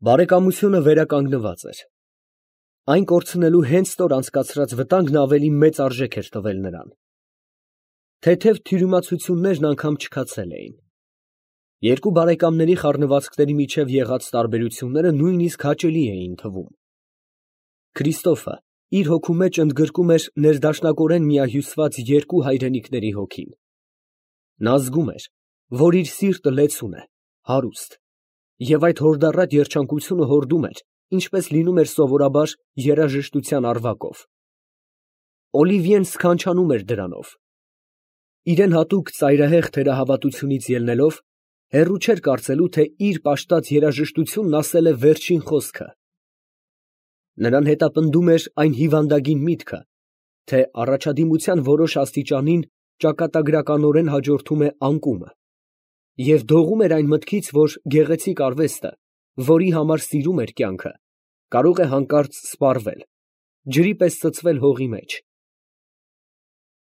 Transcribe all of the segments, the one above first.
Բարեկամությունը վերականգնված էր։ Այն կորցնելու հենց նոր անցկացրած վտանգն ավելի մեծ արժեք էր տվել նրան։ Թեթև թյուրիմացություններն անգամ չքացել էին։ Երկու բարեկամների խառնվածքների միջև եղած տարբերությունները նույնիսկ հաճելի էին թվում։ Քրիստոֆը իր հոգու մեջ ընդգրկում էր ներդաշնակորեն միահյուսված երկու հայրենիքների հոգին։ Նա զգում էր, որ իր սիրտը լեցուն է, հարուստ, և այդ հորդառատ երջանկությունը հորդում էր, ինչպես լինում էր սովորաբար երաժշտության առվակով։ Օլիվիեն սքանչանում էր դրանով։ Իրան հատուկ ծայրահեղ թերահավատությունից ելնելով, հեռու չէր կարծելու, թե իր պաշտած երաժշտությունն ասել է վերջին խոսքը։ Նրան հետապնդում էր այն հիվանդագին միտքը, թե առաջադիմության որոշ աստիճանին ճակատագրականորեն հաջորդում է անկումը, և դողում էր այն մտքից, որ գեղեցիկ արվեստը, որի համար սիրում էր կյանքը, կարող է հանկարծ սպառվել, ջրի պես ծծվել հողի մեջ։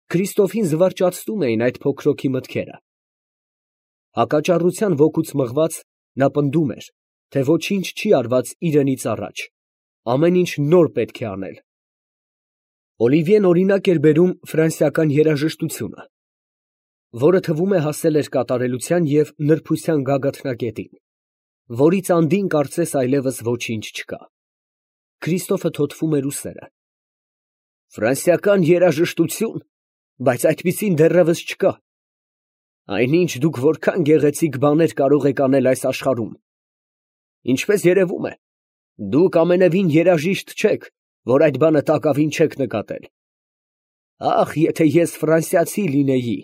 Քրիստոֆին զվարճացնում էին այդ փոքրոքի մտքերը։ Հակաճառության ոգուց մղված, նա պնդում էր, թե ոչինչ չի արված իրենից առաջ, ամեն ինչ նոր պետք է անել։ Օլիվիեն օրինակ էր բերում ֆրանսիական երաժշտությունը, որը թվում է հասել էր կատարելության և նրբության գագաթնակետին, որից անդին կարծես այլևս ոչինչ չկա։ Քրիստոֆը թոթվում էր ուսերը։ Ֆրանսիական երաժշտություն, բայց այդպիսին դեռևս չկա։ Այնինչ դուք որքան գեղեցիկ բաներ կարող եք անել այս աշխարհում։ Ինչպես երևում է, դուք ամենևին երաժիշտ չեք, որ այդ բանը տակավին չեք նկատել։ Ախ, եթե ես ֆրանսիացի լինեի։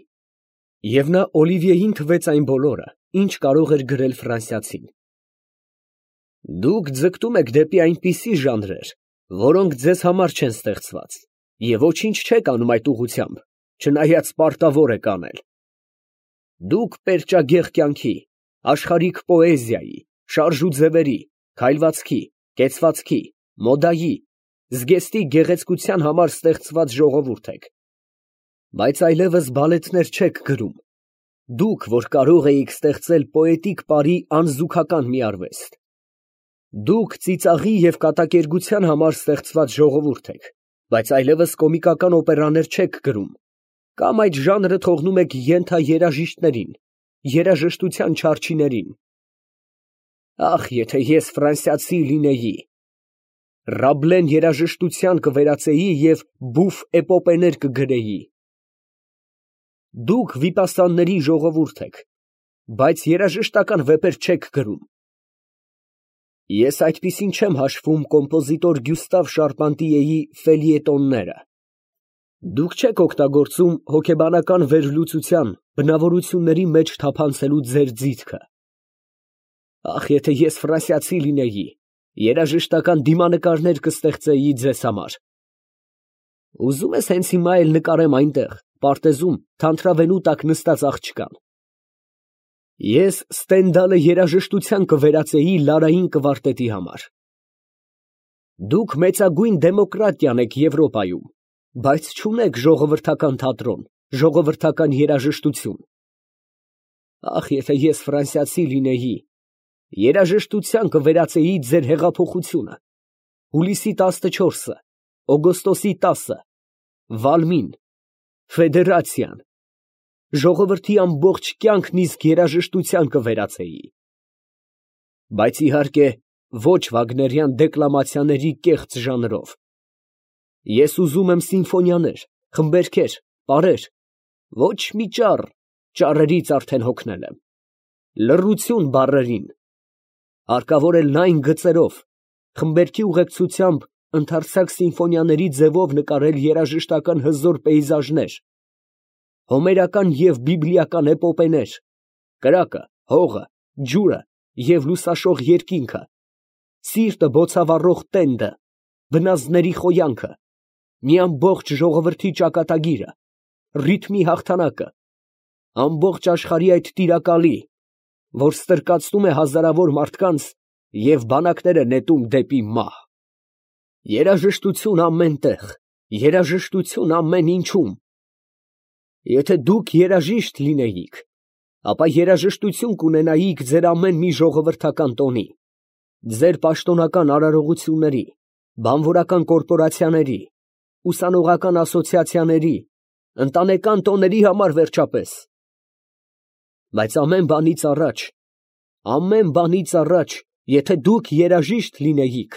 Եվ նա Օլիվիեին թվեց այն բոլորը, ինչ կարող էր գրել ֆրանսիացին։ Դուք ձգտում եք դեպի այնպիսի ժանրեր, որոնք ձեզ համար չեն ստեղծված, և ոչինչ չեք անում այդ ուղղությամբ, չնայած պարտավոր եք անել։ Դուք պերճագեղ կյանքի, աշխարհիկ պոեզիայի, շարժու ձևերի, քայլվածքի, կեցվածքի, մոդայի, զգեստի գեղեցկության համար ստեղծված ժողովուրդ եք, բայց այլևս բալետներ չեք գրում, դուք, որ կարող էիք ստեղծել պոետիկ պարի անզուգական մի արվեստ։ Դուք ծիծաղի և կատակերգության համար ստեղծված ժողովուրդ եք, բայց այլևս կոմիկական օպերաներ չեք գրում, կամ այդ ժանրը թողնում եք ենթաերաժիշտներին, երաժշտության չարչիներին։ Ախ, եթե ես ֆրանսիացի լինեի, Ռաբլեն երաժշտության կվերածեի և բուֆ էպոպեներ կգրեի։ Դուք վիպասանների ժողովուրդ եք, բայց երաժշտական վեպեր չեք գրում։ Ես այդպիսին չեմ հաշվում կոմպոզիտոր Գյուստավ Շարպանտիեի ֆելիետոնները։ Դուք չեք օգտագործում հոգեբանական վերլուծության բնավորությունների մեջ թափանցելու ձեր ձիթքը։ Ախ, եթե ես ֆրանսիացի լինեի, երաժշտական դիմանկարներ կստեղծեի ձեզ համար։ Ուզում ես հենց հիմա էլ նկարեմ այնտեղ, պարտեզում, թանթրավենու տակ նստած աղջկան։ Ես Ստենդալը երաժշտության կվերածեի Լարային կվարտետի համար։ Դուք մեծագույն դեմոկրատիան եք Եվրոպայում, բայց չունեք ժողովրդական թատրոն, ժողովրդական երաժշտություն։ Ախ, եթե ես ֆրանսիացի լինեի, երաժշտության կվերածեի ձեր հեղափոխությունը, հուլիսի 14-ը, օգոստոսի 10-ը, Վալմին, Ֆեդերացիան, ժողովրդի ամբողջ կյանքն իսկ երաժշտության կվերածեի։ Բայց իհարկե ոչ վագներյան դեկլամացիաների կեղծ ժանրով։ Ես ուզում եմ սիմֆոնիաներ, խմբերգեր, պարեր, ոչ մի ճառ, ճառերից արդեն հոգնել եմ, լռություն բառերին, հարկավոր է լայն գծերով, խմբերգի ուղեկցությամբ ընդարձակ սիմֆոնիաների ձևով նկարել երաժշտական հզոր պեյզաժներ, հոմերական և բիբլիական էպոպեներ, կրակը, հողը, ջուրը և լուսաշող երկինքը, սիրտը բոցավառող տենդը, բնազդների խոյանքը, մի ամբողջ ժողովրդի ճակատագիրը, ռիթմի հաղթանակը, ամբողջ աշխարհի այդ տիրակալի, որ ստրկացնում է հազարավոր մարդկանց և բանակներ է նետում դեպի մահ։ Երաժշտություն ամեն տեղ, երաժշտություն ամեն ինչում։ Եթե դուք երաժիշտ լինեիք, ապա երաժշտություն կունենայիք ձեր ամեն մի ժողովրդական տոնի, ձեր պաշտոնական արարողությունների, բանվորական կորպորացիաների, ուսանողական ասոցիացիաների, ընտանեկան տոների համար վերջապես։ Բայց ամեն բանից առաջ, եթե դուք երաժիշտ լինեիք,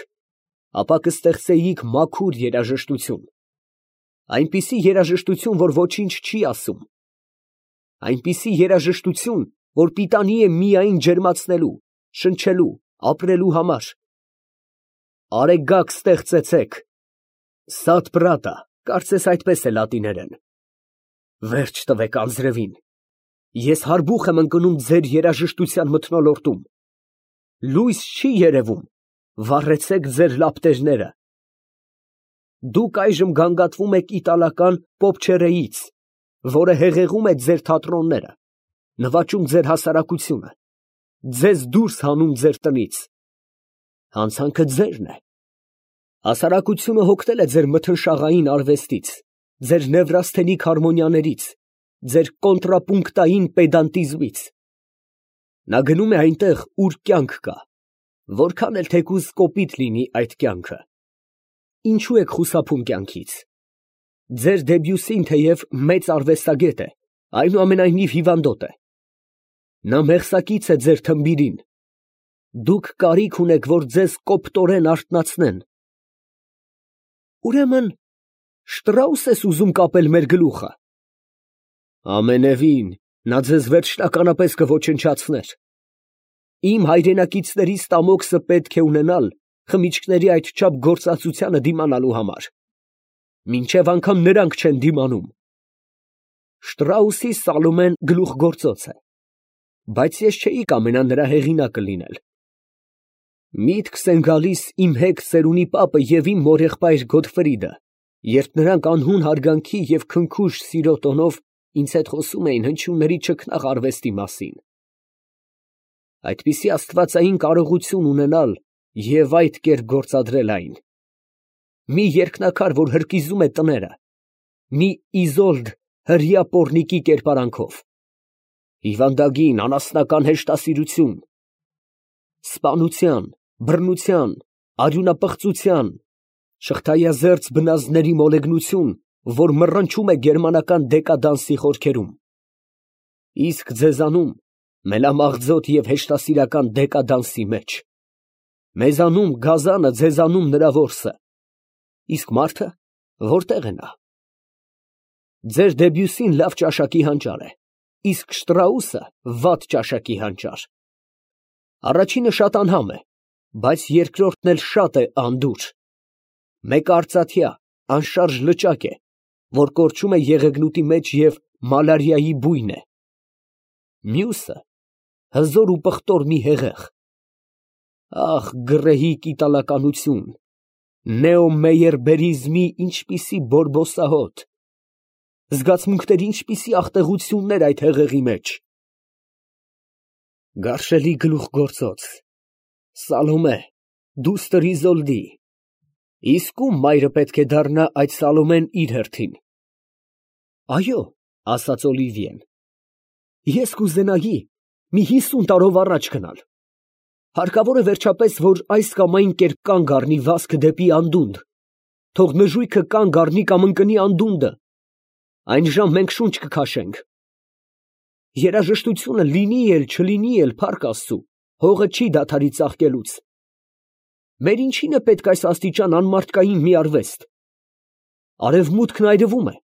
ապա կստեղծեիք մաքուր երաժշտություն, այնպիսի երաժշտություն, որ ոչինչ չի ասում, այնպիսի երաժշտություն, որ պիտանի է միայն ջերմացնելու, շնչելու, ապրելու համար։ Արեգակ ստեղծեցեք, սատ պրատա, կարծես այդպես է լատիներեն։ Վերջ տվեք անձրևին, ես հարբուխ եմ ընկնում ձեր երաժշտության մթնոլորտում, լույս չի երևում, վառեցեք ձեր լապտերները։ Դուք այժմ գանգատվում եք իտալական պոպչերեից, որը հեղեղում է ձեր թատրոնները, նվաճում ձեր հասարակությունը, ձեզ դուրս հանում ձեր տնից։ Հանցանքը ձերն է։ Հասարակությունը հոգնել է ձեր մթնշաղային արվեստից, ձեր նևրասթենիկ հարմոնիաներից, ձեր կոնտրապունկտային պեդանտիզմից։ Նա գնում է այնտեղ, ուր կյանք կա, որքան էլ թեկուզ կոպիտ լինի այդ կյանքը։ Ինչու եք խուսափում կյանքից։ Ձեր Դեբյուսին թեև մեծ արվեստագետ է, այնուամենայնիվ հիվանդոտ է։ Նա մեղսակից է ձեր թմբիրին։ Դուք կարիք ունեք, որ ձեզ կոպտորեն արթնացնեն։ Ուրեմն Շտրաուս ես ուզում կապել մեր գլուխը։ Ամենևին, նա ձեզ վերջնականապես կոչնչացներ։ Իմ հայրենակիցների ստամոքսը պետք է ունենալ խմիչքների այդչափ գործածությանը դիմանալու համար։ Մինչև անգամ նրանք չեն դիմանում։ Շտրաուսի Սալոմեն գլուխգործոց է, բայց ես չէի կամենա նրա հեղինակը լինել։ Միտքս են գալիս իմ հեգ ծերունի պապը և իմ մորեղբայր Գոթֆրիդը, երբ նրանք անհուն հարգանքի և քնքուշ սիրո տոնով ինձ հետ խոսում էին հնչյունների չքնաղ արվեստի մասին։ Այդպիսի աստվածային կարողություն ունենալ և այդ կերպ գործադրել այն։ Մի երկնակար, որ հրկիզում է տները, մի Իզոլդ հրեա պոռնիկի կերպարանքով, հիվանդագին անասնական հեշտասիրություն, սպանության, բռնության, արյունապղծության, շղթայազերծ բնազդների մոլեգնություն, որ մռնչում է գերմանական դեկադանսի խորքերում։ Իսկ ձեզանում մելամաղձոտ և հեշտասիրական դեկադանսի մեջ։ Մեզանում գազանը, ձեզանում նրա որսը։ Իսկ մարդը որտե՞ղ է նա։ Ձեր Դեբյուսին լավ ճաշակի հանճար է, իսկ Շտրաուսը վատ ճաշակի հանճար։ Առաջինը շատ անհամ է, բայց երկրորդն էլ շատ է անդուր։ Մեկը արծաթյա, անշարժ լճակ է, որ կորչում է եղեգնուտի մեջ և մալարիայի բույն է։ Մյուսը հզոր ու պղտոր մի հեղեղ։ Ախ, գռեհիկ իտալականություն, նեոմեյերբերիզմի ինչպիսի բորբոսահոտ, զգացմունքների ինչպիսի աղտեղություններ այդ հեղեղի մեջ։ Գարշելի գլուխգործոց, Սալոմե, դուստր Իզոլդի, իսկ ում մայրը պետք է դառնա այդ Սալոմեն իր հերթին։ Այո, ասաց Օլիվիեն, ես կուզենայի մի 50 տարով առաջ գնալ։ Հարկավոր է վերջապես, որ այս կամ այն կերպ կանգ առնի վազքը դեպի անդունդ, թող նժույգը կանգ առնի կամ ընկնի անդունդը, այն ժամ մենք շունչ կքաշենք։ Երաժշտությունը լինի էլ չլինի էլ, փառք Աստծու, հողը չի դադարի ծաղկելուց։ Մեր ինչին է պետք այս աստիճան անմարդկային մի արվեստ։ Արևմուտքն այրվում է։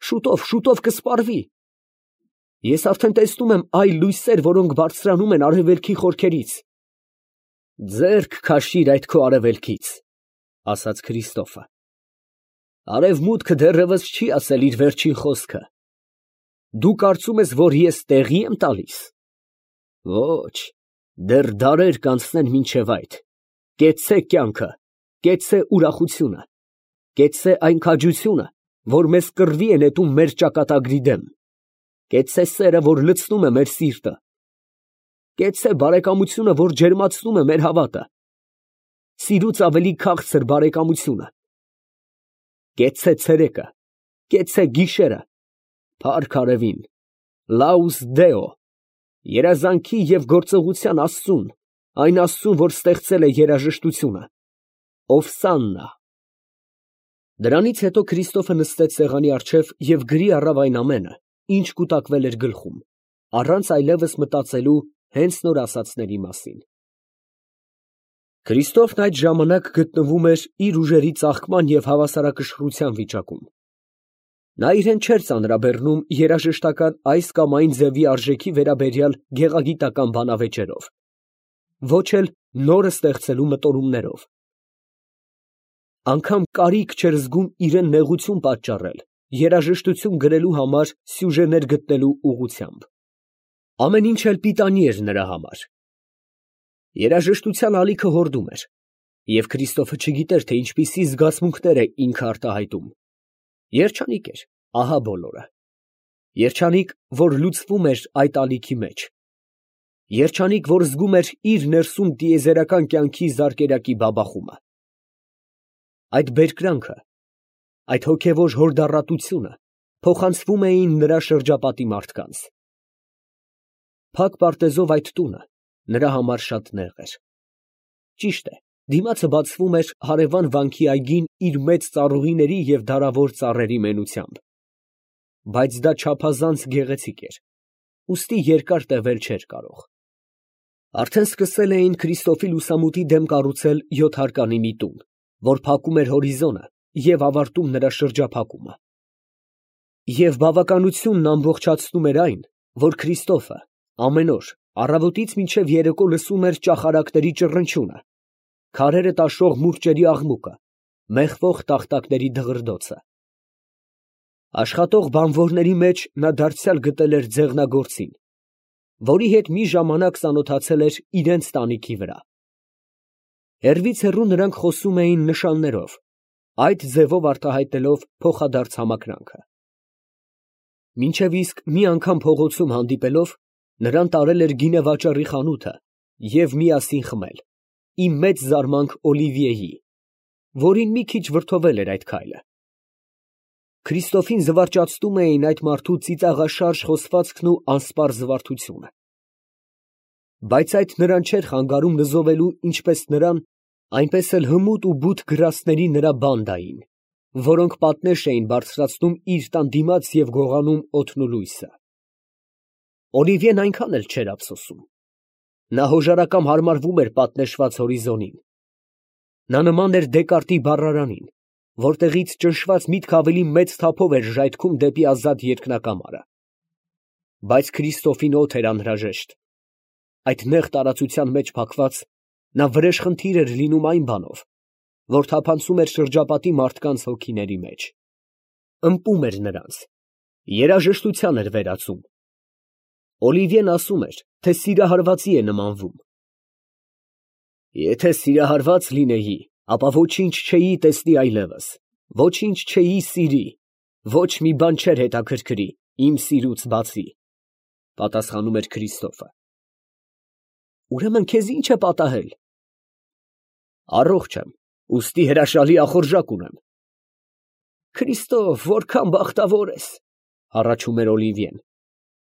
Շուտով կսպառվի։ Ես արդեն տեսնում եմ այլ լույսեր, որոնք բարձրանում են արևելքի խորքերից։ Ձեռք քաշիր այդ քո արևելքից, ասաց Քրիստոֆը։ Արևմուտքը դեռևս չի ասել իր վերջին խոսքը։ Դու կարծում ես, որ ես տեղի եմ տալիս։ Ոչ, դեռ դարեր կանցնեն մինչև այդ։ Կեցցե կյանքը, կեցցե ուրախությունը, կեցցե այն քաջությունը, որ մեզ կռվի է նետում մեր ճակատագրի դեմ, կեցցե սերը, որ լցնում է մեր սիրտը, կեցցե բարեկամությունը, որ ջերմացնում է մեր հավատը, սիրուց ավելի քաղցր բարեկամությունը, կեցցե ցերեկը, կեցցե գիշերը, փառք արևին, լաուս դեո, երազանքի և գործողության Աստծուն, այն Աստծուն, որ ստեղծել է երաժշտությունը, ով Սաննա։ Դրանից հետո Քրիստոֆը նստեց սեղանի առջև և գրի առավ այն ամենը, ինչ կուտակվել էր գլխում, առանց այլևս մտածելու հենց նոր ասածների մասին։ Քրիստոֆն այդ ժամանակ գտնվում էր իր ուժերի ծաղկման և հավասարակշռության վիճակում։ Նա իրեն չէր ծանրաբեռնում երաժշտական այս կամ այն ձևի արժեքի վերաբերյալ գեղագիտական բանավեճերով, ոչ էլ նորը ստեղծելու մտորումներով։ Անգամ կարիք չէր զգում իրեն նեղություն պատճառել երաժշտություն գրելու համար սյուժեներ գտնելու ուղղությամբ։ Ամեն ինչ էլ պիտանի էր նրա համար։ Երաժշտության ալիքը հորդում էր, և Քրիստոֆը չգիտեր, թե ինչպիսի զգացմունքներ է ինքը արտահայտում։ Երջանիկ էր, ահա բոլորը։ Երջանիկ, որ լուծվում էր այդ ալիքի մեջ։ Երջանիկ, որ զգում էր իր ներսում տիեզերական կյանքի զարկերակի բաբախումը։ Այդ բերկրանքը, այդ հոգևոր հորդառատությունը փոխանցվում էին նրա շրջապատի մարդկանց։ Փակ պարտեզով այդ տունը նրա համար շատ նեղ էր։ Ճիշտ է, դիմացը բացվում էր հարևան վանքի այգին իր մեծ ծառուղիների և դարավոր ծառերի մենությամբ, բայց դա չափազանց գեղեցիկ էր, ուստի երկար տևել չէր կարող։ Արդեն սկսել էին Քրիստոֆի լուսամուտի դեմ կառուցել 7 հարկանի մի տուն, որ փակում էր հորիզոնը և ավարտում նրա շրջափակումը։ Եվ բավականությունն ամբողջացնում էր այն, որ Քրիստոֆը ամեն օր առավոտից մինչև երեկո լսում էր ճախարակների ճռնչյունը, քարերը տաշող մուրճերի աղմուկը, մեխվող տախտակների դղրդոցը։ Աշխատող բանվորների մեջ նա դարձյալ գտել էր ձեղնագործին, որի հետ մի ժամանակ ծանոթացել էր իրենց տանիքի վրա։ Հեռվից հեռու նրանք խոսում էին նշաններով, այդ ձևով արտահայտելով փոխադարձ համակրանքը։ Մինչև իսկ մի անգամ փողոցում հանդիպելով, նրան տարել էր գինեվաճառի խանութը և միասին խմել, ի մեծ զարմանք Օլիվիեի, որին մի քիչ վրդովել էր այդ քայլը։ Քրիստոֆին զվարճացնում էին այդ մարդու ծիծաղաշարժ խոսվածքն ու անսպառ զվարթությունը։ Բայց այդ նրան չէր խանգարում նզովելու ինչպես նրան, այնպես էլ հմուտ ու բութ գրաստների նրա բանդային, որոնք պատնեշ էին բարձրացնում իր տան դիմաց և գողանում օդն ու լույսը։ Օլիվիեն այնքան էլ չէր ափսոսում։ Նա հոժարակամ հարմարվում էր պատնեշված հորիզոնին։ Նա նման էր Դեկարտի բառարանին, որտեղից ճնշված միտքը ավելի մեծ թափով էր ժայթքում դեպի ազատ երկնակամարը։ Բայց Քրիստոֆին օդ էր անհրաժեշտ։ Այդ նեղ տարածության մեջ փակված, նա վրեժխնդիր էր լինում այն բանով, որ թափանցում էր շրջապատի մարդկանց հոգիների մեջ, ըմպում էր նրանց, երաժշտության էր վերածում։ Օլիվիեն ասում էր, թե սիրահարվածի է նմանվում։ Եթե սիրահարված լինեի, ապա ոչինչ չէի տեսնի այլևս, ոչինչ չէի սիրի, ոչ մի բան չէր հետաքրքրի իմ սիրուց բացի, պատասխանում էր Քրիստոֆը։ Ուրեմն քեզ ի՞նչ է պատահել։ Առողջ եմ, ուստի հրաշալի ախորժակ ունեմ։ Քրիստոֆ, որքան բախտավոր ես, հառաչում էր Օլիվիեն։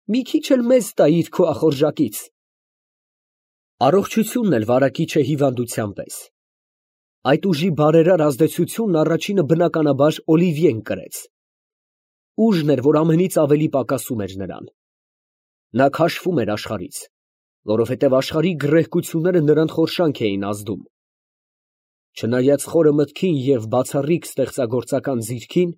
Մի քիչ էլ մեզ տայիր քո ախորժակից։ Առողջությունն էլ վարակիչ է հիվանդության պես։ Այդ ուժի բարերար ազդեցությունն առաջինը բնականաբար Օլիվիեն կրեց։ Ուժն էր, որ ամենից ավելի պակասում էր նրան։ Նա քաշվում էր աշխարհից, որովհետև աշխարհի գռեհկությունները նրան խորշանք էին ազդում։ Չնայած խորը մտքին և բացառիկ ստեղծագործական ձիրքին,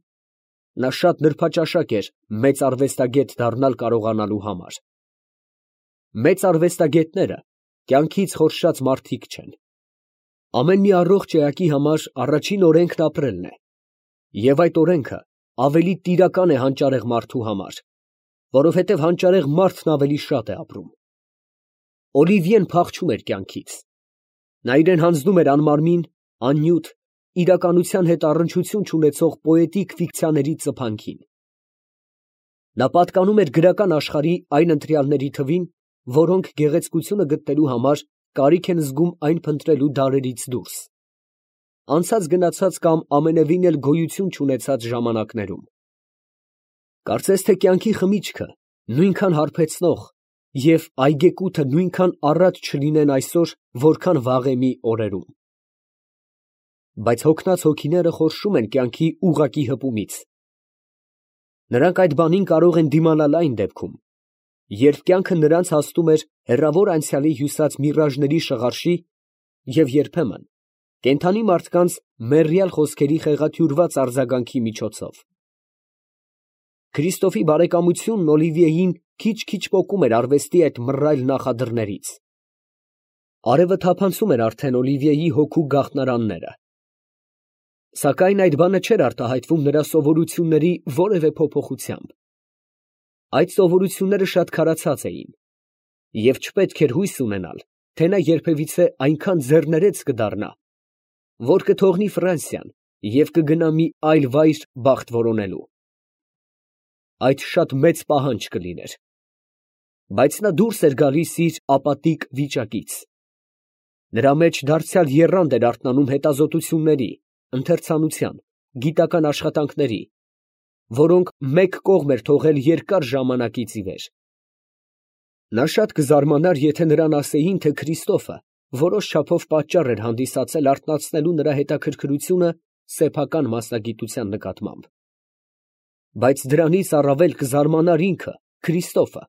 նա շատ նրբաճաշակ էր մեծ արվեստագետ դառնալ կարողանալու համար։ Մեծ արվեստագետները կյանքից խորշած մարդիկ չեն։ Ամեն մի առողջ էակի համար առաջին օրենքն ապրելն է, և այդ օրենքը ավելի տիրական է հանճարեղ մարդու համար, որովհետև հանճարեղ մարդն ավելի շատ է ապրում։ Օլիվիեն փախչում էր կյանքից։ Նա իրեն հանձնում էր անմարմին, աննյութ, իրականության հետ առնչություն չունեցող պոետիկ ֆիկցիաների ծփանքին։ Նա պատկանում էր գրական աշխարհի այն ընտրյալների թվին, որոնք գեղեցկությունը գտնելու համար կարիք են զգում այն փնտրելու դարերից դուրս, անցած գնացած կամ ամենևին էլ գոյություն չունեցած ժամանակներում։ Կարծես թե կյանքի խմիչքը նույնքան հարբեցնող, և այգեկութը նույնքան առատ չլինեն այսօր, որքան վաղեմի օրերում։ Բայց հոգնած հոգիները խորշում են կյանքի ուղղակի հպումից։ Նրանք այդ բանին կարող են դիմանալ այն դեպքում, երբ կյանքը նրանց հասնում էր հեռավոր անցյալի հյուսած միրաժների շղարշի և երբեմն կենդանի մարդկանց մեռյալ խոսքերի խեղաթյուրված արձագանքի միջոցով։ Քրիստոֆի բարեկամությունն Օլիվիեին քիչ֊քիչ պոկում էր արվեստի այդ մռայլ նախադրներից։ Արևը թափանցում էր արդեն Օլիվիեի հոգու գաղտնարանները։ Սակայն այդ բանը չէր արտահայտվում նրա սովորությունների որևէ փոփոխությամբ։ Այդ սովորությունները շատ քարացած էին, և չպետք էր հույս ունենալ, թե նա երբևիցե այնքան ձեռներեց կդառնա, որ կթողնի Ֆրանսիան և կգնա մի այլ վայր բախտ որոնելու։ Այդ շատ մեծ պահանջ կլիներ, բայց նա դուրս էր գալիս իր ապատիկ վիճակից։ Նրա մեջ դարձյալ եռանդ էր արթնանում հետազոտությունների, ընթերցանության, գիտական աշխատանքների, որոնք մեկ կողմ էր թողել երկար ժամանակից ի վեր։ Նա շատ կզարմանար, եթե նրան ասեին, թե Քրիստոֆը որոշ չափով պատճառ էր հանդիսացել արթնացնելու նրա հետաքրքրությունը սեփական մասնագիտության նկատմամբ։ Բայց դրանից առավել կզարմանար ինքը, Քրիստոֆը,